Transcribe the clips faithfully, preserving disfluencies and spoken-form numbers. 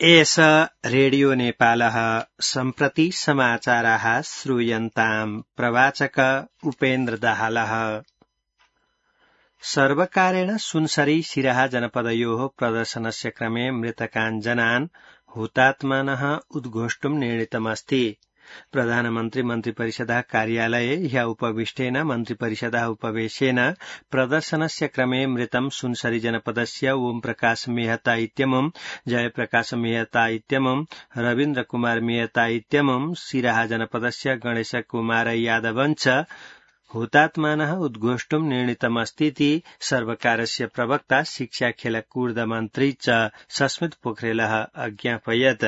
एष रेडियो नेपालः सम्प्रति समाचाराः श्रूयन्ताम् प्रवाचक उपेन्द्र दाहालः। सर्वकारेण सुनसरी सिराहा जनपदयोः प्रदर्शनस्य क्रमे मृतकान् जनान् हुतात्मनः उद्घोष्टुम् निर्णीतमस्ति। प्रधानमन्त्री मन्त्रिपरिषदः कार्यालये ह्यः उपविष्टेन मन्त्रिपरिषदः उपवेशेन प्रदर्शनस्य क्रमे मृतं सुनसरी जनपदस्य ओम प्रकाश मेहता इत्यमुम् जयप्रकाश मेहता इत्यमुम् रवीन्द्र कुमार मेहता इत्यमुम् सिराहा जनपदस्य गणेश कुमार यादवञ्च हुतात्मानः उद्घोष्टुम् निर्णीतमस्तीति सर्वकारस्य प्रवक्ता शिक्षा खेलकूद मन्त्री च सस्मित पोखरेलः अज्ञापयत्।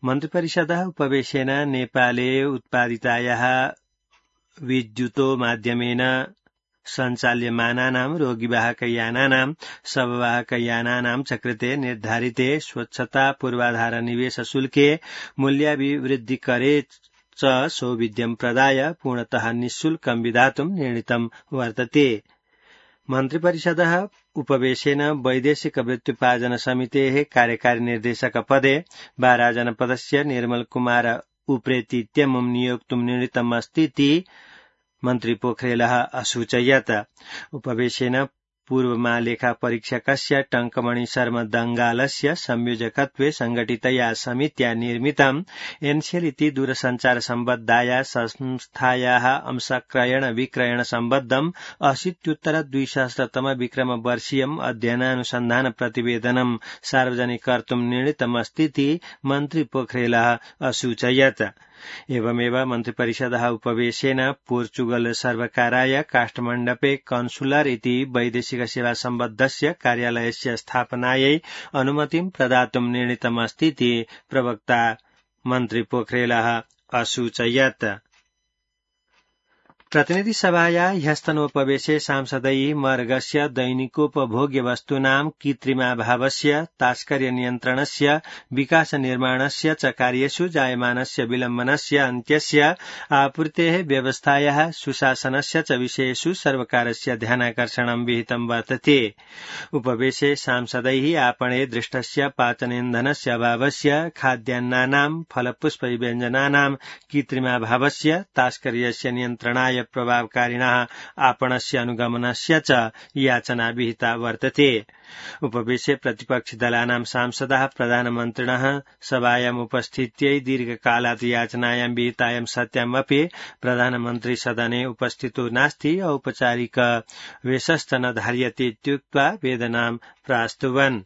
मन्त्रिपरिषदः उपवेशेन नेपाले उत्पादितायाः विद्युतो माध्यमेन सञ्चाल्यमानानां रोगिवाहकयानानां शववाहकयानानां च कृते निर्धारिते स्वच्छता पूर्वाधार निवेश शुल्के मूल्याभिवृद्धिकरे च सौविध्यं प्रदाय पूर्णतः निःशुल्कं विधातुं निर्णीतं वर्तते। मन्त्रिपरिषदः उपवेशेन वैदेशिक वृत्त्युपार्जन समितेः कार्यकारी निर्देशक पदे बारा जनपदस्य निर्मल कुमार उप्रेती इत्यमुं नियोक्तुं निर्णीतमस्तीति मन्त्री पोखरेलः असूचयत्। उपवेशेन पूर्वमालेखा परीक्षकस्य टंकमणि शर्मा दंगालस्य संयोजकत्वे संघटितया समित्या निर्मितम् एनसेल इति दूरसञ्चार सम्बद्धाया संस्थायाः अंशक्रयण विक्रयण सम्बद्धम् अशीत्युत्तर द्विसहस्रतम विक्रम वर्षीयम् अध्ययनानुसन्धान प्रतिवेदनम् सार्वजनिक कर्तुम् निर्णीतमस्तीति मन्त्री पोखरेलः असूचयत्। एवमेव मन्त्रिपरिषदः उपवेशेन पोर्चुगल सर्वकाराय काष्ठमण्डपे कन्सुलर इति वैदेशिक सेवा सम्बद्धस्य कार्यालयस्य स्थापनायै अनुमतिं प्रदातुं निर्णीतमस्तीति प्रवक्ता मन्त्री पोखरेलः असूचयत्। प्रतिनिधिसभाया ह्यस्तनोपवेशे सांसदैः मर्गस्य दैनिकोपभोग्य वस्तूनां कृत्रिमाभावस्य तास्कर्य नियन्त्रणस्य विकास निर्माणस्य च कार्येषु जायमानस्य विलम्बनस्य अन्त्यस्य आपूर्तेः व्यवस्थायाः सुशासनस्य च विषयेषु सर्वकारस्य ध्यानाकर्षणं विहितं वर्तते। उपवेशे सांसदैः आपणे दृष्टस्य पाचनेन्धनस्य अभावस्य खाद्यान्नानां फलपुष्पव्यञ्जनानां कृत्रिमाभावस्य तास्कर्यस्य नियन्त्रणाय प्रभावकारिणः आपणस्य अनुगमनस्य च याचना विहिता वर्तते। उपवेशे प्रतिपक्षदलानां सांसदाः प्रधानमन्त्रिणः सभायाम् उपस्थित्यै दीर्घकालात् याचनायां विहितायां सत्यामपि प्रधानमन्त्री सदने उपस्थितो नास्ति औपचारिक वेशश्च न धार्यते इत्युक्त्वा वेदनां प्रास्तुवन्।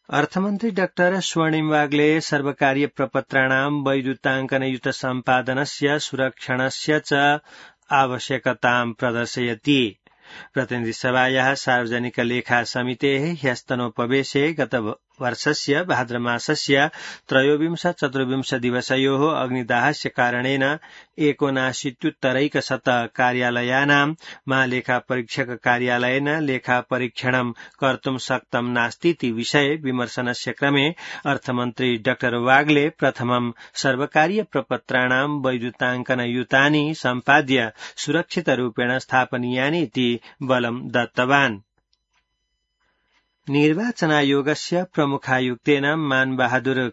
अर्थमन्त्री डाक्टर स्वर्णिम वाग्ले सर्वकारीय प्रपत्राणां वैद्युताङ्कनयुत सम्पादनस्य सुरक्षणस्य च आवश्यकतां प्रदर्शयति। प्रतिनिधिसभायाः सार्वजनिक लेखा समितेः ह्यस्तनोपवेशे गत वर्षस्य भाद्रमासस्य त्रयोविंश चतुर्विंश दिवसयोः अग्निदाहस्य कारणेन एकोनाशीत्युत्तरैकशत कार्यालयानां महालेखा परीक्षक कार्यालयेन लेखापरीक्षणं कर्तुं शक्तं नास्तीति विषये विमर्शनस्य क्रमे अर्थमन्त्री डाक्टर वाग्ले प्रथमं सर्वकारीय प्रपत्राणां वैद्युताङ्कनयुतानि सम्पाद्य सुरक्षितरूपेण स्थापनीयानि इति बलं दत्तवान्। निर्वाचनायोगस्य प्रमुखायुक्तेन मानबहादुर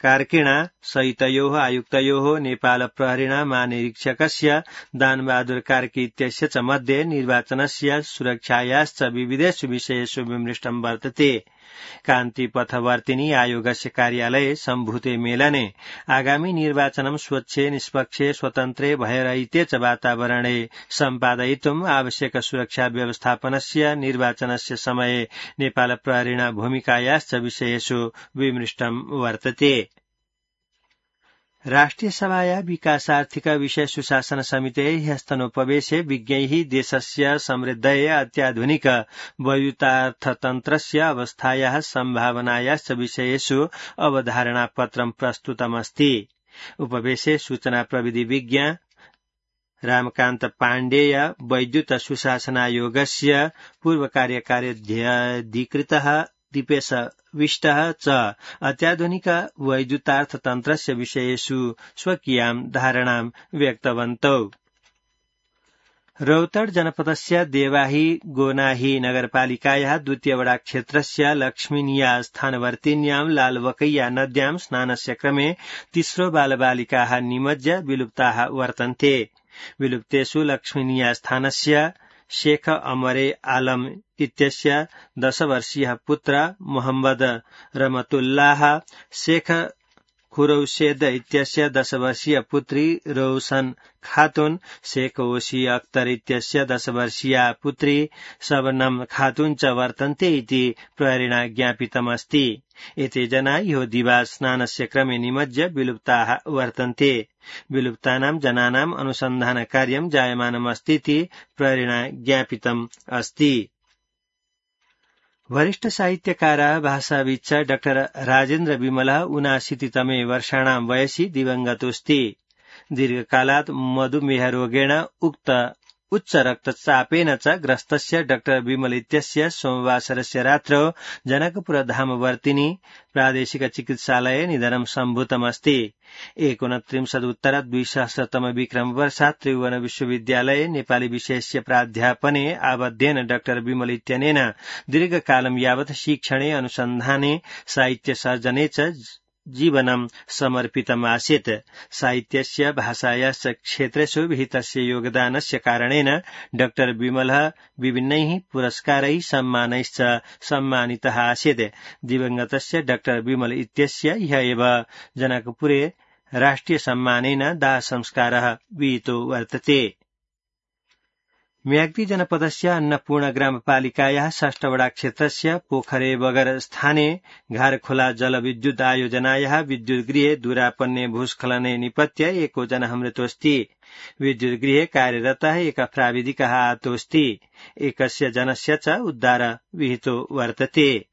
कार्किणा सहितयोः आयुक्तयोः नेपाल प्रहरिणा महानिरीक्षकस्य दानबहादुर कार्की इत्यस्य च मध्ये निर्वाचनस्य सुरक्षायाश्च विविधेषु विषयेषु विमृष्टं वर्तते। कान्तिपथवर्तिनी आयोगस्य कार्यालये सम्भूते मेलने आगामी निर्वाचनं स्वच्छे निष्पक्षे स्वतन्त्रे भयरहिते च वातावरणे सम्पादयितुम् आवश्यक सुरक्षा व्यवस्थापनस्य निर्वाचनस्य समये नेपाल प्रहरिणा भूमिकायाश्च विषयेषु विमृष्टं वर्तते। राष्ट्रिय सभाया विकासार्थिक विषय सुशासन समितेः ह्यस्तनोपवेशे विज्ञैः देशस्य समृद्धये अत्याधुनिक वैद्युतार्थतन्त्रस्य अवस्थायाः सम्भावनायाश्च विषयेषु अवधारणापत्रं प्रस्तुतमस्ति। उपवेशे सूचना प्रविधि विज्ञ रामकान्त पाण्डेय वैद्युत सुशासनायोगस्य पूर्वकार्यकार्याधिकृतः दीपेश विष्टः च अत्याधुनिक वैद्युतार्थतन्त्रस्य विषयेषु स्वकीयां धारणां व्यक्तवन्तौ। रौतड जनपदस्य देवाही गोनाही नगरपालिकायाः द्वितीय वडा क्षेत्रस्य लक्ष्मीनिया स्थानवर्तिन्यां लालवकैया नद्यां स्नानस्य क्रमे तिस्रो बालबालिकाः निमज्य विलुप्ताः वर्तन्ते। विलुप्तेषु लक्ष्मीनिया स्थानस्य शेख अमरे आलम इत्यस्य दशवर्षीयः पुत्र मोहम्मद रमतुल्लाह, शेख खुरौशेद इत्यस्य दशवर्षीय पुत्री रोशन खातुन, शेख ओसी अख्तर इत्यस्य दशवर्षीया पुत्री शबनम खातुन च वर्तन्ते इति प्रहरेण ज्ञापितमस्ति। एते जना ह्यो दिवा स्नानस्य क्रमे निमज्य विलुप्ताः वर्तन्ते। विलुप्तानां जनानाम् अनुसन्धान कार्यं जायमानमस्तीति प्रहरेण ज्ञापितम् अस्ति। वरिष्ठ साहित्यकारः भाषाविच्च डाक्टर राजेन्द्र विमलः ऊनाशीतितमे वर्षाणां वयसि दिवङ्गतोऽस्ति। दीर्घकालात् मधुमेहरोगेण उक्त उच्च रक्तचापेन च ग्रस्तस्य डाक्टर विमल इत्यस्य सोमवासरस्य रात्रौ जनकपुरधामवर्तिनि प्रादेशिक चिकित्सालये निधनं सम्भूतमस्ति। एकोनत्रिंशदुत्तर द्विसहस्रतम विक्रम वर्षात् त्रिभुवन विश्वविद्यालये नेपाली विषयस्य प्राध्यापने आबद्धेन डाक्टर विमल इत्यनेन दीर्घकालं यावत् शिक्षणे अनुसन्धाने साहित्य सर्जने च जीवनं समर्पितमासीत्। साहित्यस्य भाषायाश्च क्षेत्रेषु विहितस्य योगदानस्य कारणेन डाक्टर विमलः विभिन्नैः पुरस्कारैः सम्मानैश्च सम्मानितः आसीत्। दिवङ्गतस्य डाक्टर विमल इत्यस्य ह्यः एव जनकपुरे राष्ट्रिय सम्मानेन दाह संस्कारः विहितो वर्तते। म्याग्दी जनपदस्य अन्नपूर्ण ग्रामपालिकायाः षष्ठवडा क्षेत्रस्य पोखरे बगर स्थाने घारखोला जलविद्युत आयोजनायाः विद्युतगृहे दूरापन्ने भूस्खलने निपत्य एको जनः मृतोऽस्ति। विद्युतगृहे कार्यरतः एकः प्राविधिकः आहतोऽस्ति। एकस्य जनस्य च उद्धार विहितो वर्तते।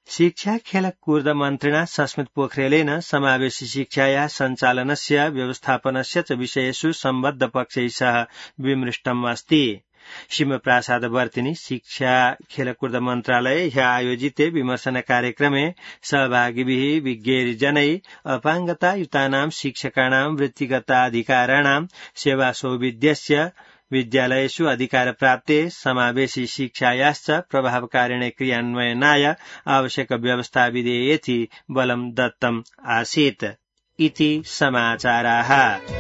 शिक्षा खेलकूद मन्त्रिणा सस्मित पोखरेलेन समावेशी शिक्षायाः सञ्चालनस्य व्यवस्थापनस्य च विषयेषु सम्बद्ध पक्षैः सह विमृष्टम् अस्ति। शिवप्रसादवर्तिनि शिक्षा खेलकूद मन्त्रालये ह्यः आयोजिते विमर्शन कार्यक्रमे सहभागिभिः विज्ञैर्जनैः अपाङ्गतायुतानां शिक्षकाणां वृत्तिगताधिकाराणां सेवासौविध्यस्य विद्यालयेषु अधिकारप्राप्ते समावेशी शिक्षायाश्च प्रभावकारिणे क्रियान्वयनाय आवश्यक व्यवस्था विधेयेति बलं दत्तम् आसीत् इति समाचाराः।